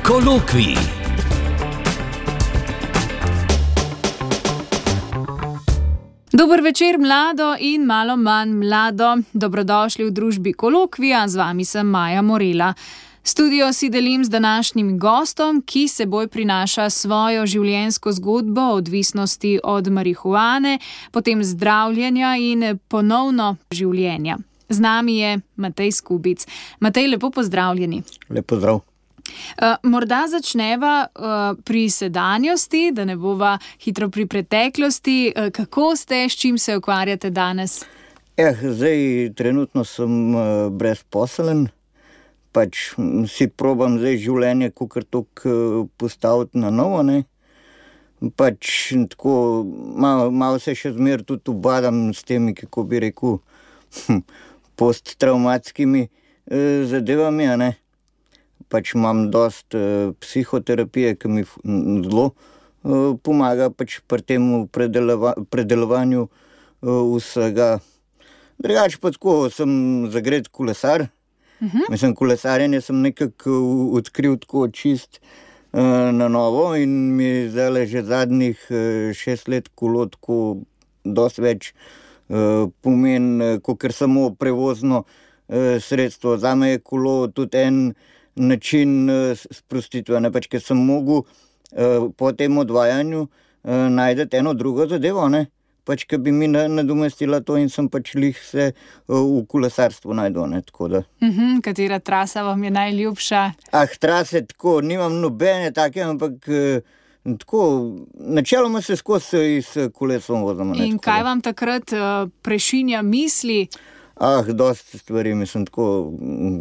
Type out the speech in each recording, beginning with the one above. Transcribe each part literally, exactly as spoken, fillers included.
Kolokvij. Dober večer, mlado in malo manj mlado. Dobrodošli v družbi Kolokvija, z vami sem Maja Morela. Studio si delim z današnjim gostom, ki seboj prinaša svojo življenjsko zgodbo o odvisnosti od marihuane, potem zdravljenja in ponovno življenja. Z nami je Matej Skubic. Matej, lepo pozdravljeni. Lep pozdrav. Uh, morda začneva uh, pri sedanjosti, da ne bova hitro pri preteklosti. Uh, kako ste, s čim se ukvarjate danes? Eh, zdaj trenutno sem uh, brezposeln, pač si probam zdaj življenje kakor toliko uh, postaviti na novo, ne. Pač tako, malo, malo se še zmer tudi ubadam s temi, kako bi rekel, posttraumatskimi uh, zadevami, a ne. Pač imam dost uh, psihoterapije, ki mi zelo uh, pomaga pač pri tem predelova, predelovanju uh, vsega. Drugače pa tako, sem zagret kolesar. Uh-huh. Mislim, kolesarjenje sem nekako odkril tako čist uh, na novo in mi zdaj že zadnjih uh, šest let kolo tako dost več uh, pomeni, kakor samo prevozno uh, sredstvo. Zame je kolo tudi en način uh, sprostitve, ne, pač, ker sem mogel uh, po tem odvajanju uh, najdeti eno drugo zadevo, ne, pač, ker bi mi nadomestila to in sem pač lih se uh, v kolesarstvu najdel, ne, tako da. Uh-huh. Katera trasa vam je najljubša? Ah, trase tako, nimam nobene take, ampak uh, tako, načeloma se skozi s kolesom vozimo. In kaj vam takrat uh, prešinja misli? Ah, dosti stvari, mislim, tako,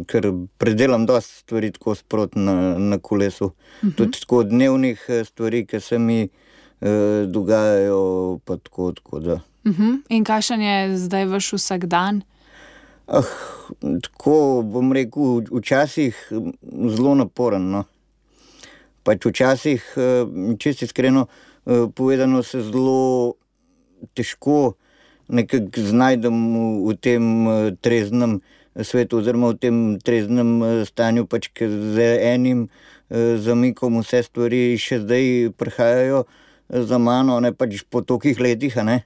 ker predelam dosti stvari tako sproti na, na kolesu. Uh-huh. Tudi tako dnevnih stvari, ki se mi eh, dogajajo, pa tako, tako da. Uh-huh. In kakšen je zdaj vaš vsak dan? Ah, tako, bom rekel, včasih zelo naporen, no. Pač včasih, čisto iskreno povedano, se zelo težko nekako znajdem v, v tem treznem svetu oziroma v tem treznem stanju, pač ker z enim zamikom vse stvari še zdaj prihajajo za mano, ne, pač po tolikih letih, a ne.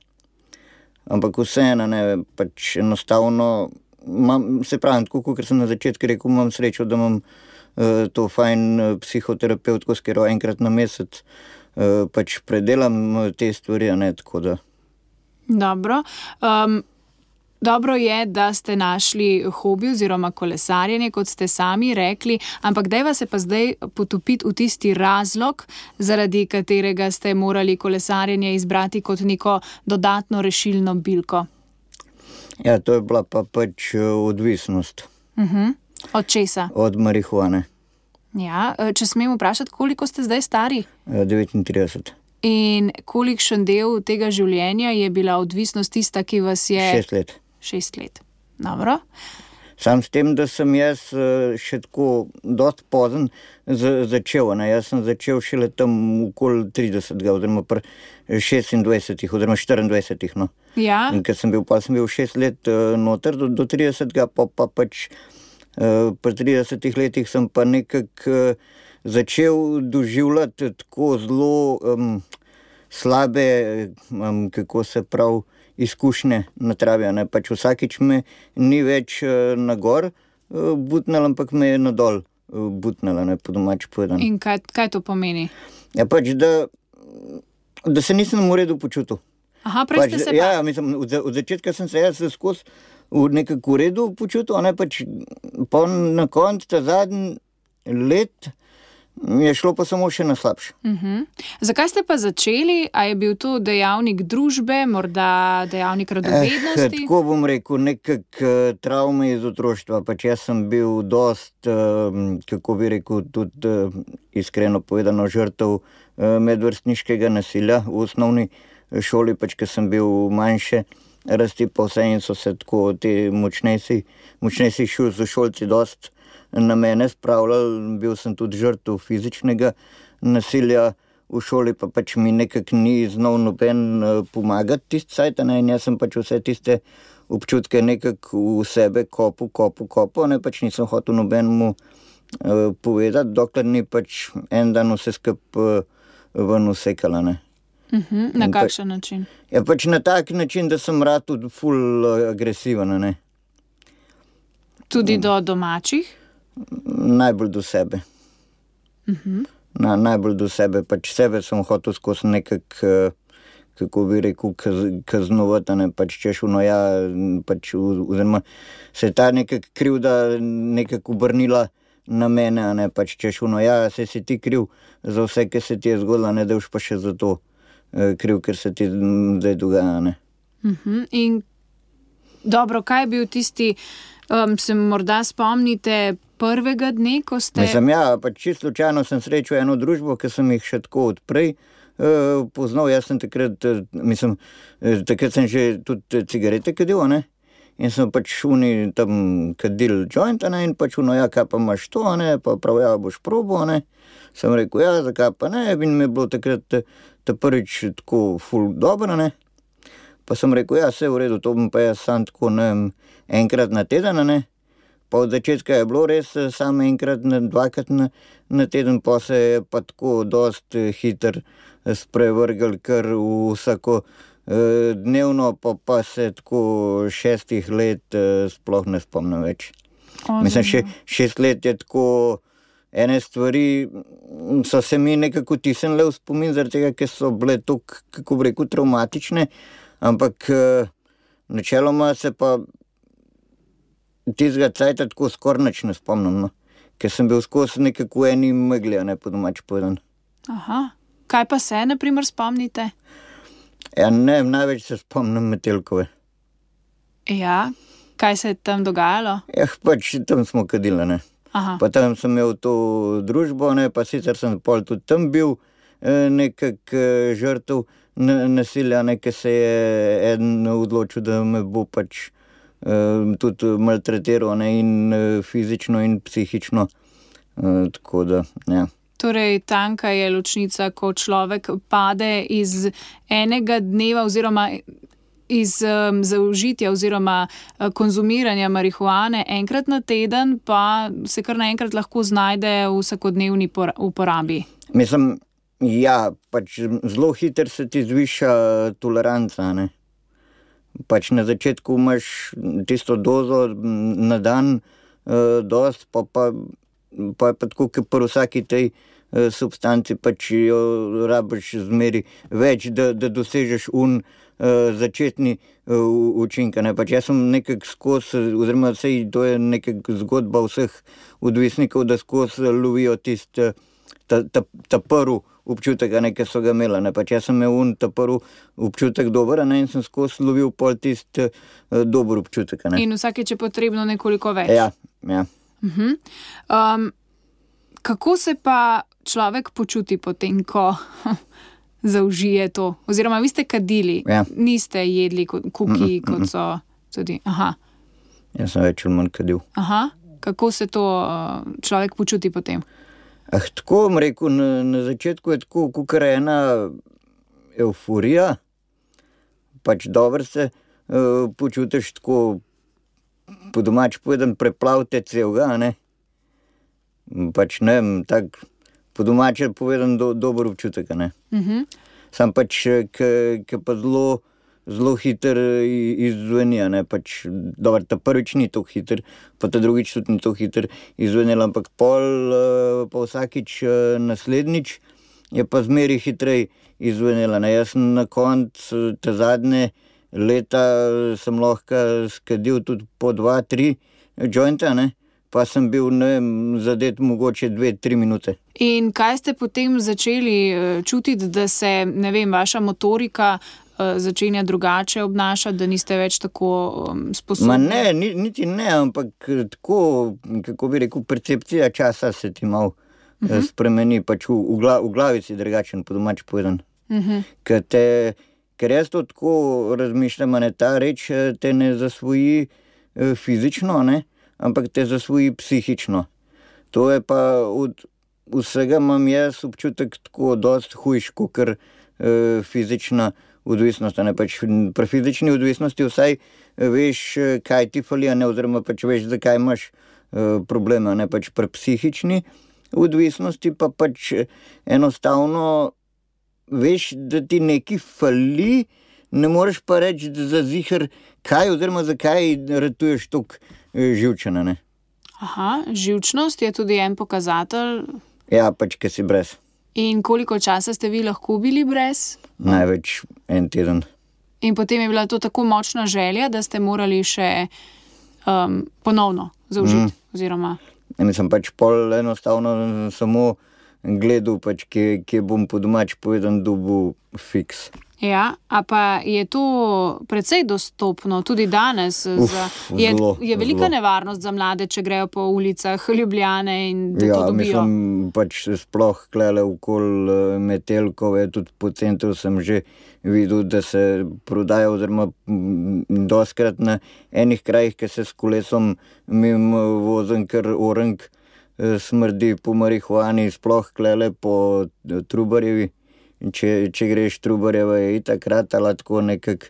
Ampak vseeno, ne, pač enostavno, mam, se pravim, tako, kot sem na začetku rekel, imam srečo, da imam uh, to fajn uh, psihoterapevtko, s katero enkrat na mesec uh, pač predelam te stvari, a ne, tako da. Dobro. Um, dobro je, da ste našli hobi oziroma kolesarjenje, kot ste sami rekli, ampak dajva se pa zdaj potopiti v tisti razlog, zaradi katerega ste morali kolesarjenje izbrati kot neko dodatno rešilno bilko. Ja, to je bila pa pač odvisnost. Uh-huh. Od česa? Od marihuane. Ja, če smem vprašati, koliko ste zdaj stari? devetintrideset. In kolikšen del tega življenja je bila odvisnost tista, ki vas je... Šest let. Šest let. Dobro. Sam s tem, da sem jaz še tako dost pozen začel, ne, jaz sem začel šele tam okoli tridesetega, oziroma pri šestindvajsetih, oziroma štiriindvajsetih, no. Ja. In ker sem bil, pa sem bil šest let noter do, do tridesetega, pa, pa pač pri tridesetih letih sem pa nekako začel doživljati tako zelo um, slabe, um, kako se prav, izkušnje na travi, ne, pač vsakič me ni več uh, na gor uh, butnel, ampak me je nadol uh, butnela, ne, po domač povedano. In kaj, kaj to pomeni? Ja, pač, da, da se nisem v redu počutil. Aha, prej pač, ste se ja, pa... mislim, od, od začetka sem se jaz skozi v nekako v redu počutil, ne, pač pa na koncu ta zadnji let je šlo pa samo še na slabše. Uh-huh. Zakaj ste pa začeli? A je bil to dejavnik družbe, morda dejavnik radovednosti? Eh, tako bom rekel, nekak travme iz otroštva. Pač jaz sem bil dost, kako bi rekel, tudi iskreno povedano, žrtev medvrstniškega nasilja v osnovni šoli, pač ker sem bil manjše rasti pa vse in so se tako ti močnejši, močnejši šolci dost na mene spravljali, bil sem tudi žrtev fizičnega nasilja v šoli, pa pač mi nekako ni znal noben pomagati tist cajt, ne, in jaz sem pač vse tiste občutke nekako v sebe kopu, kopu, kopu, ne, pač nisem hotel nobenemu uh, povedati, dokler ni pač en dan vse skup uh, ven usekala, ne. Uh-huh. Na kakšen pa, način? Ja, pač na tak način, da sem rad tudi ful agresiven, ne. Tudi do domačih? Najbolj do sebe. Uh-huh. Na, najbolj do sebe, pač sebe sem hotel skozi nekak, kako bi rekel, kaz, kaznovati, ne, pač češ vno ja, pač oziroma se je ta nekak krivda nekak obrnila na mene, ne, pač češ vno ja, se si ti kriv za vse, ki se ti je zgodilo, ne, da už pa še za to kriv, ker se ti zdaj dogaja, ne. Uh-huh. In dobro, kaj je bil tisti, um, se morda spomnite prvega dne, ko ste... Mislim, ja, pač čisto slučajno sem srečal eno družbo, ki sem jih še tako odprej uh, poznal. Jaz sem takrat, uh, mislim, uh, takrat sem že tudi cigarete kadil, ne, in sem pač uni tam kadil joint, ne, in pač uno, ja, kaj pa imaš to, ne, pa prav, ja, boš probo, ne. Sem rekel, ja, zakaj pa ne, in mi je bilo takrat ta prvič tako ful dobro, ne. Pa sem rekel, ja, vse v redu, to bom pa jaz sam tako, ne, enkrat na teden, ne. Pa od začetka je bilo res samo enkrat, na, dvakrat na, na teden, pa se je pa tako dost hiter sprevrgel kar vsako eh, dnevno, pa pa se tako šestih let eh, sploh ne spomnim več. Oziroma. Mislim, še, šest let je tako, ene stvari so se mi nekako tisnile v spomin, zaradi tega, ker so bile tako, kako bi rekel, traumatične, ampak eh, načeloma se pa tistega cajta tako skoraj nič ne spomnim, no. Ker sem bil skozi nekako eni megli, ne, po domač povedan. Aha. Kaj pa se, na primer, spomnite? Ja, ne, največ se spomnim Metelkove. Ja, kaj se je tam dogajalo? Ja, pač tam smo kadili, ne. Aha. Pa tam sem imel to družbo, ne, pa sicer sem pol tudi tam bil eh, nekak eh, žrtev nasilja, ne, ker se je eden odločil, da me bo pač Uh, tudi maltretiral, ne, in uh, fizično in psihično, uh, tako da, ja. Torej, tanka je ločnica, ko človek pade iz enega dneva oziroma iz um, zaužitja oziroma uh, konzumiranja marihuane enkrat na teden, pa se kar naenkrat lahko znajde v vsakodnevni por- uporabi. Mislim, ja, pač zelo hiter se ti zviša toleranca, ne. Pač na začetku imaš tisto dozo na dan, eh, dost, pa pa, pa je pa tako, ker pri vsaki tej eh, substanci pač jo rabiš zmeri več, da, da dosežeš un eh, začetni eh, učinka, ne. Pač jaz sem nekak skozi, oziroma sej to je nekak zgodba vseh odvisnikov, da skozi lovijo tist, ta, ta, ta prvi občutek, ne, ki so ga imela, ne. Pač jaz sem imel un ta prvi občutek dober, ne, in sem skozi lovil pol tist uh, dober občutek, ne. In vsakeč je potrebno nekoliko več. Ja, ja. Uh-huh. Um, kako se pa človek počuti potem, ko zaužije to? Oziroma, vi ste kadili, Ja. niste jedli kuki, Mm-mm, kot mm-mm. so tudi. Aha. Jaz sem več ali manj kadil. Aha. Kako se to uh, človek počuti potem? Ah, tako bom rekel, na, na začetku je tako, kakor ena evforija, pač dobro se uh, počutiš tako, po domač povedan, preplavte celega, ne. Pač ne vem, tak, po domače povedan, do, dober občutek, ne. Uh-huh. Sam pač, ki pa zelo, zelo hiter izzveni, ne, pač, dobro, ta prvič ni tako hiter, pa ta drugič tudi ni tako hiter izzvenel, ampak pol, pa vsakič naslednjič je pa zmeri hitrej izzvenela, ne. Jaz sem na koncu te zadnje leta sem lahko skadil tudi po dva, tri jointa, ne, pa sem bil, ne vem, zadet mogoče dve, tri minute. In kaj ste potem začeli uh, čutiti, da se, ne vem, vaša motorika uh, začenja drugače obnašati, da niste več tako um, sposobni? Ma ne, ni, niti ne, ampak tako, kako bi rekel, percepcija časa se ti malo uh-huh. spremeni, pač v, v, glav, v glavi si drugačen, po domač povedan. Uh-huh. Ker, te, ker jaz to tako razmišljam, ne, ta reč te ne zasvoji eh, fizično, ne, ampak te zasvoji psihično. To je pa od vsega imam jaz občutek tako dost hujš, kakor eh, fizična odvisnost, ne, pač pri fizični odvisnosti vsaj veš, kaj ti fali, ne, oziroma pač veš, zakaj imaš probleme, ne pač pri psihični odvisnosti, pa pač enostavno veš, da ti nekaj fali, ne moreš pa reči, da za ziher kaj oziroma zakaj ratuješ toliko živčena, ne. Aha, živčnost je tudi en pokazatelj. Ja, pač, ker si brez. In koliko časa ste vi lahko bili brez? Največ en teden. In potem je bila to tako močna želja, da ste morali še um, ponovno zaužiti, mm. oziroma... Ja, mislim, pač pol enostavno samo gledal, pač, kje, kje bom po domač povedan dobil fiks. Ja, a pa je to precej dostopno, tudi danes. Uf, za, je, zelo, je velika zelo. Nevarnost za mlade, če grejo po ulicah Ljubljane in da ja, to dobijo. Mislim, pač sploh klele okoli Metelkove, tudi po centru sem že videl, da se prodaja, oziroma doskrat na enih krajih, ki se s kolesom mimo vozim, ker orang smrdi po marihuani, sploh klele po Trubarjevi. Če, če greš Trubarjeva, je itak ratala tako nekak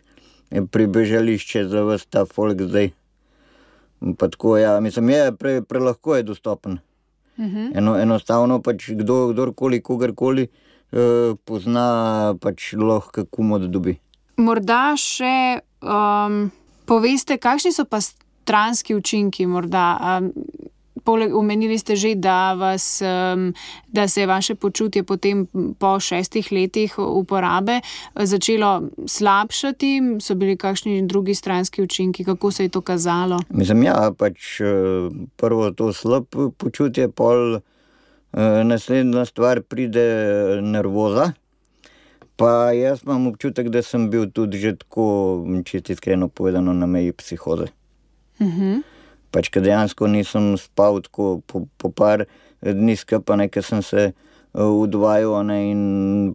pribežališče za vas ta folk zdaj. Pa tako, ja, mislim, je pre, prelahko je dostopen. Uh-huh. Eno, enostavno pač kdo, kdorkoli, kogarkoli eh, pozna, pač lahko komod dobi. Morda še um, poveste, kakšni so pa stranski učinki morda? Um, Poleg, omenili ste že, da, vas, da se je vaše počutje potem po šestih letih uporabe začelo slabšati. So bili kakšni drugi stranski učinki? Kako se je to kazalo? Mislim, ja, pač prvo to slab počutje, pol naslednja stvar pride nervoza. Pa jaz imam občutek, da sem bil tudi že tako, čisto iskreno povedano, na meji psihoze. Mhm. Pač, ker dejansko nisem spal tako po, po par dni skupaj, ne, ker sem se udvajal, ne, in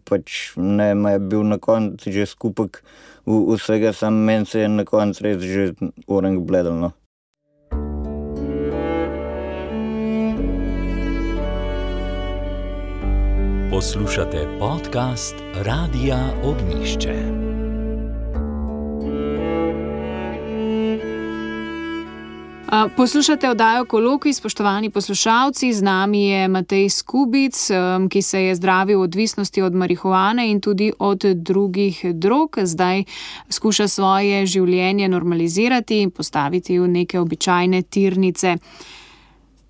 pač ne, ma je bil na koncu že skupek vsega, sam meni se je na koncu res že orang bledal, no. Poslušate podcast Radia Ognjišče. Poslušate oddajo Kolokvij, spoštovani poslušalci, z nami je Matej Skubic, ki se je zdravil od odvisnosti od marihuane in tudi od drugih drog. Zdaj skuša svoje življenje normalizirati in postaviti v neke običajne tirnice.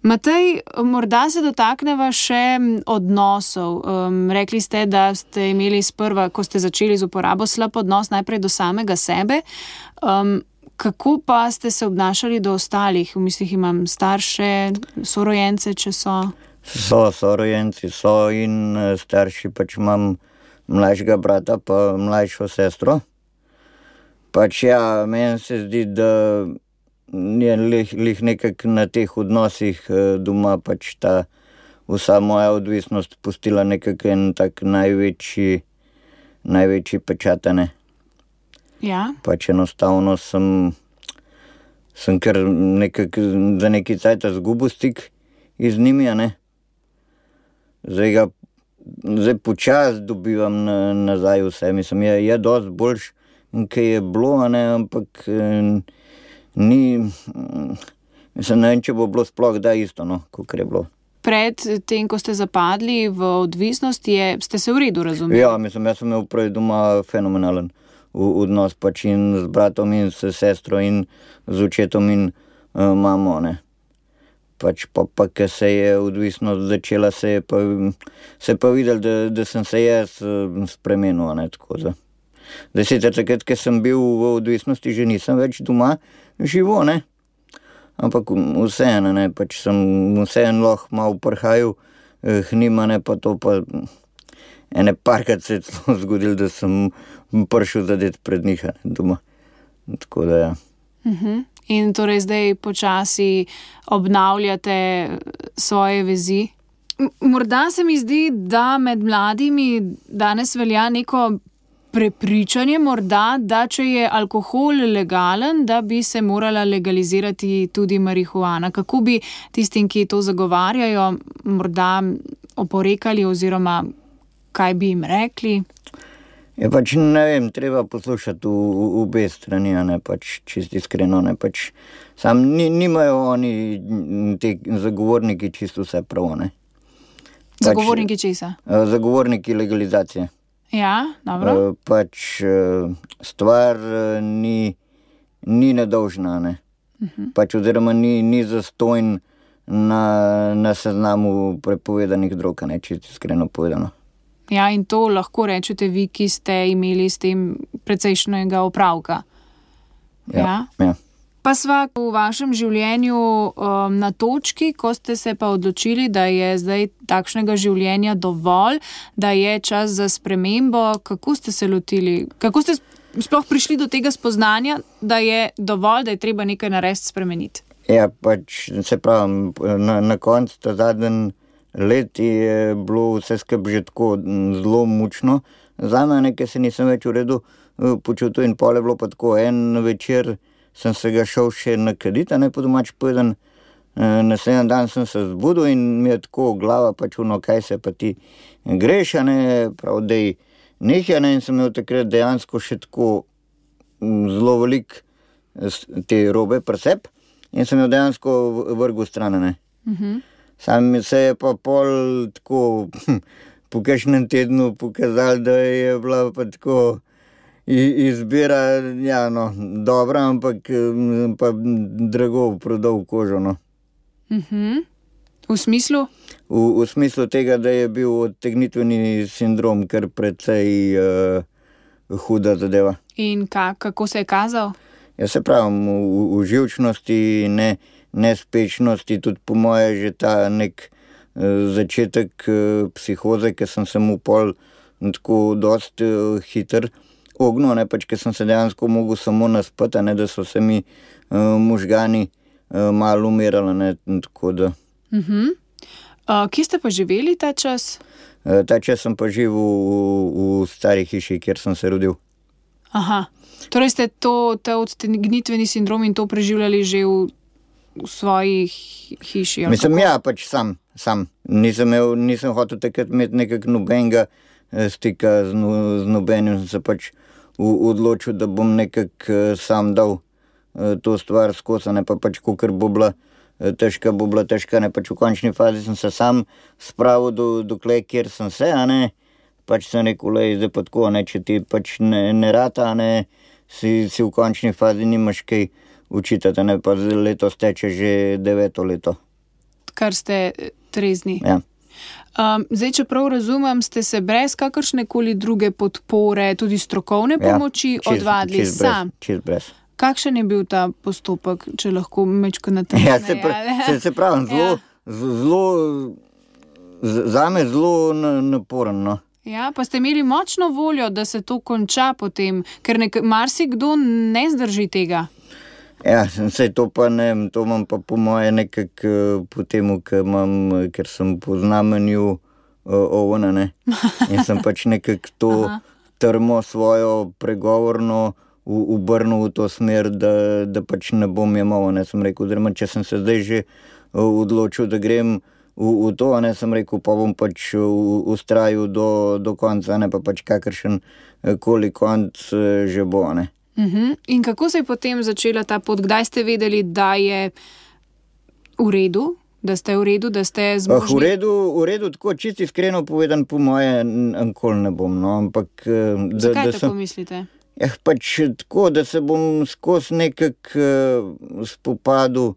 Matej, morda se dotakneva še odnosov. Rekli ste, da ste imeli sprva, ko ste začeli z uporabo, slab odnos najprej do samega sebe. Kako pa ste se obnašali do ostalih? V mislih imam starše, sorojence, če so? So, sorojenci so in starši, pač imam mlajšega brata pa mlajšo sestro. Pač ja, meni se zdi, da je lih, lih nekak na teh odnosih doma pač ta vsa moja odvisnost pustila nekak en tak največji, največji pečatane. Ja. Pač enostavno sem, sem kar nekak, za neki cajt zgubil stik iz njimi, a ne. Zdaj ga, zdaj počas dobivam na, nazaj vse, mislim, je, je dosti boljš, kaj je bilo, a ne, ampak ni, mislim, ne vem, če bo bilo sploh da isto, no, kakor je bilo. Pred tem, ko ste zapadli v odvisnost, je, ste se v redu razumeli? Ja, mislim, jaz sem imel prej doma fenomenalen odnos pač in z bratom in s sestro in z očetom in uh, mamo, ne. Pač pa, pa ker se je odvisnost začela, se je pa, se je pa videl, da, da sem se jaz uh, spremenil, ne, tako da. Zdaj sicer takrat, ker sem bil v odvisnosti, že nisem več doma živo, ne. Ampak vseeno, ne, pač sem vseeno lahko malo prhajal eh, hnima, ne, pa to pa ene parkrat se je zgodil, da sem prišel zadet pred njih doma. Tako da ja. Uh-huh. In torej zdaj počasi obnavljate svoje vezi? M- morda se mi zdi, da med mladimi danes velja neko prepričanje morda, da če je alkohol legalen, da bi se morala legalizirati tudi marihuana. Kako bi tistim, ki to zagovarjajo, morda oporekali oziroma kaj bi jim rekli? Je pač, ne vem, treba poslušati v, v, v obe strani, a ne pač čisto iskreno, ne pač sam ni, nimajo oni te zagovorniki čisto vse prav, ne. Pač, Zagovorniki česa? Zagovorniki legalizacije. Ja, dobro. Pač stvar ni, ni nedolžna, ne. Uh-huh. Pač oziroma ni, ni zastojn na, na seznamu prepovedanih drog, ne, čisto iskreno povedano. Ja, in to lahko rečete vi, ki ste imeli s tem precejšnjega opravka. Ja, ja. ja. Pa sva v vašem življenju um, na točki, ko ste se pa odločili, da je zdaj takšnega življenja dovolj, da je čas za spremembo. Kako ste se lotili? Kako ste sploh prišli do tega spoznanja, da je dovolj, da je treba nekaj narediti, spremeniti? Ja, pač se pravim, na, na koncu ta zadnji let je bilo vse skupaj že tako zelo mučno. Zame nekaj se nisem več v redu počutil in pol je bilo pa tako, en večer sem se ga šel še nakaditi, a ne po domač povedan. Naslednji dan sem se zbudil in mi je tako glava pač ono, kaj se pa ti greš, a ne, prav dej nekaj, ne, in sem imel takrat dejansko še tako zelo velik te robe presep in sem jo dejansko vrgel stran, ne. Uh-huh. Sam se je pa pol tako po kakšnem tednu pokazal, da je bila pa tako izbira, ja, no, dobra, ampak pa drago prodal kožo, no. Uh-huh. V smislu? V, v smislu tega, da je bil odtegnitveni sindrom kar precej uh, huda zadeva. In ka, kako se je kazal? Ja, se pravim, v, v živčnosti, ne, nespečnosti, tudi po moje že ta nek uh, začetek uh, psihoze, ki sem se mu pol tako dost uh, hiter ognil, ne, pač, ker sem se dejansko mogel samo naspati, ne, da so se mi uh, možgani uh, malo umirali, ne, tako da. Uh-huh. Uh, kje ste pa živeli ta čas? Uh, ta čas sem pa živel v, v stari hiši, kjer sem se rodil. Aha, torej ste to, ta odtegnitveni sindrom in to preživljali že v, v svoji hiši? Mislim, kako? Ja, pač sam, sam. Nisem, imel, nisem hotel takrat imeti nekak nobenega stika z, no, z nobenim, sem se pač v, odločil, da bom nekak sam dal to stvar skozi, ne pa pač kakor bo bila težka, bo bila težka, ne pač v končni fazi sem se sam spravil do, dokle, kjer sem se, a ne, pač sem rekel, lej, zdaj pa tako, ne, če ti pač ne, ne rata, ne, si, si v končni fazi nimaš kaj učitati, ne, pa letos teče že deveto leto. Kar ste trezni. Ja. Um, zdaj, če prav razumem, ste se brez kakršnekoli druge podpore, tudi strokovne pomoči, ja, čist, odvadili čist sam. Brez, čist brez. Kakšen je bil ta postopek, če lahko mečko natančneje? Ja, se, pra, se, se pravim, zelo, ja. zelo, zame zelo naporen, no. Ja, pa ste imeli močno voljo, da se to konča potem, ker nek, marsikdo ne zdrži tega. Ja, sej to pa ne, to imam pa po moje nekak po temu, ker imam, ker sem po znamenju ovna, ne. In sem pač nekak to trmo svojo pregovorno obrnil v to smer, da, da pač ne bom jemal, ne, sem rekel, oziroma če sem se zdaj že odločil, da grem v, v to, ne, sem rekel, pa bom pač ustrajal do, do konca, ne, pa pač kakršen koli konc že bo, ne. Uh-huh. In kako se je potem začela ta pot? Kdaj ste vedeli, da je v redu, da ste v redu, da ste zmožni? Ah, v redu, v redu, tako čisto iskreno povedan, po moje nikoli ne bom, no, ampak da, zakaj da tako sem, mislite? Ja, pač tako, da se bom skozi nekak uh, spopadil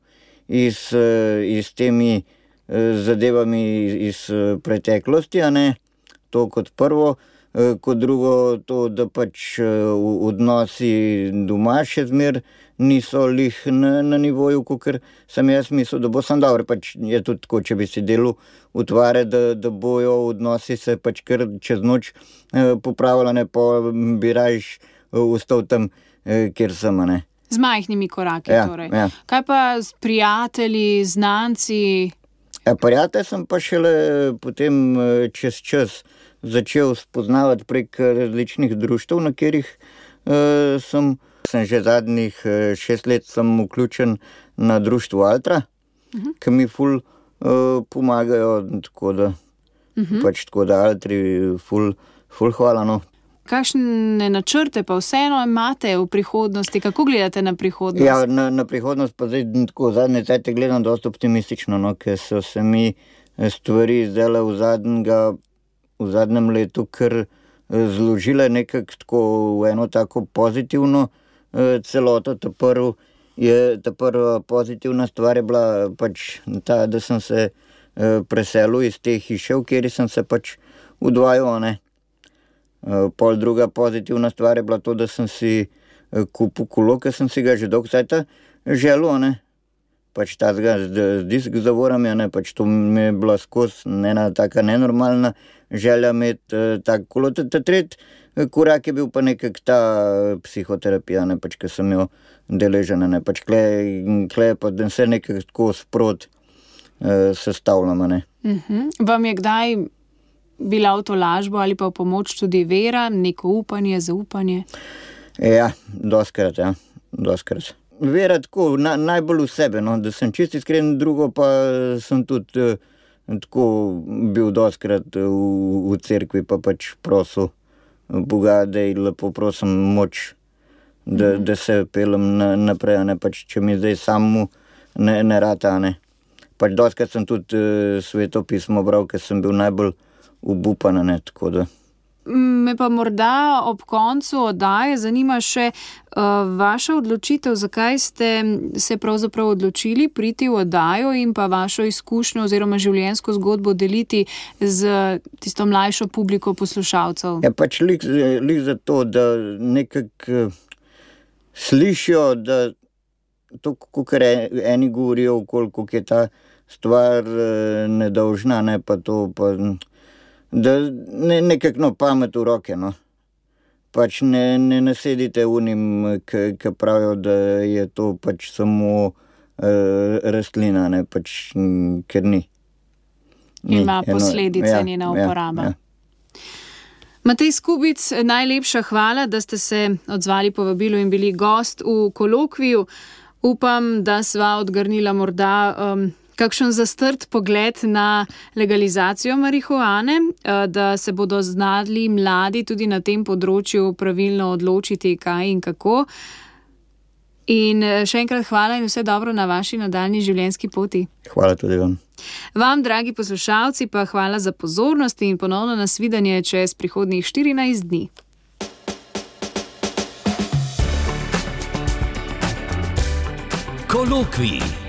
iz, uh, iz temi uh, zadevami iz uh, preteklosti, a ne, to kot prvo. Kot drugo to, da pač odnosi doma še zmer niso lih na, na nivoju, kakor sem jaz mislil, da bo sam dobro. Pač je tudi tako, če bi si delal utvare, da, da bojo odnosi se pač kar čez noč eh, popravila, ne pa bi rajš ostal tam, eh, kjer sem, ne. Z majhnimi koraki, ja, torej. Ja. Kaj pa s prijatelji, znanci? Ja, prijatelj sem pa šele potem čez čas začel spoznavati prek različnih društev, na katerih uh, sem, sem že zadnjih uh, šest let sem vključen na društvu Altra, uh-huh. ki mi ful uh, pomagajo, tako da, uh-huh. pač tako da Altri ful, ful hvala, no. kakšne načrte pa vseeno imate v prihodnosti? Kako gledate na prihodnost? Ja, na, na prihodnost pa zdaj tako zadnje cajte gledam dosti optimistično, no, ker so se mi stvari zdajle v, zadnjega, v zadnjem letu kar zložile nekako tako v eno tako pozitivno eh, celoto. Ta, prv je, ta prva pozitivna stvar je bila pač ta, da sem se eh, preselil iz te hiše, v kateri sem se pač udvajal, ne. Eh, pol druga pozitivna stvar je bila to, da sem si eh, kupil kolo, ker sem si ga že dolgo cajta želel, ne. Pač tazga z, z disk zavorami, ne, pač to mi je bila skozi ena taka nenormalna želja imeti eh, tako kolo. Ta, ta tretji korak je bil pa nekak ta psihoterapija, ne, pač, ker sem jo deležen, ne, pač kle, kle pa da se nekak tako sprot eh, sestavljamo, ne. Uh-huh. Vam je kdaj bila v tolažbo ali pa v pomoč tudi vera, neko upanje, zaupanje? Ja, doskrat, ja, doskrat. Vera tako, na, najbolj v sebe, no, da sem čisto iskren, drugo pa sem tudi eh, tako bil doskrat v, v cerkvi, pa pač prosil Boga, da je lepo prosim moč, da, mm. da se pelem na, naprej, ne, pač če mi zdaj samo ne, ne rata, ne. Pač doskrat sem tudi eh, Sveto pismo bral, ker sem bil najbolj obupan, ne, tako da. Me pa morda ob koncu oddaje zanima še uh, vaša odločitev, zakaj ste se pravzaprav odločili priti v oddajo in pa vašo izkušnjo oziroma življenjsko zgodbo deliti z tisto mlajšo publiko poslušalcev. Ja, pač lik, lik za to, da nekako slišijo, da to, kakor eni govorijo, koliko je ta stvar nedolžna, ne, pa to pa... da ne, nekako no, pamet v roke, no. Pač ne, ne nasedite unim, ki pravijo, da je to pač samo uh, rastlina, ne, pač, ker ni. ni. Ima posledice ja, njena uporaba. Ja, ja. Matej Skubic, najlepša hvala, da ste se odzvali povabilu in bili gost v kolokviju. Upam, da sva odgrnila morda um, kakšen zastrt pogled na legalizacijo marihuane, da se bodo znali mladi tudi na tem področju pravilno odločiti, kaj in kako. In še enkrat hvala in vse dobro na vaši nadaljnji življenjski poti. Hvala tudi vam. Vam, dragi poslušalci, pa hvala za pozornost in ponovno nasvidenje čez prihodnjih štirinajst dni. Kolokvij.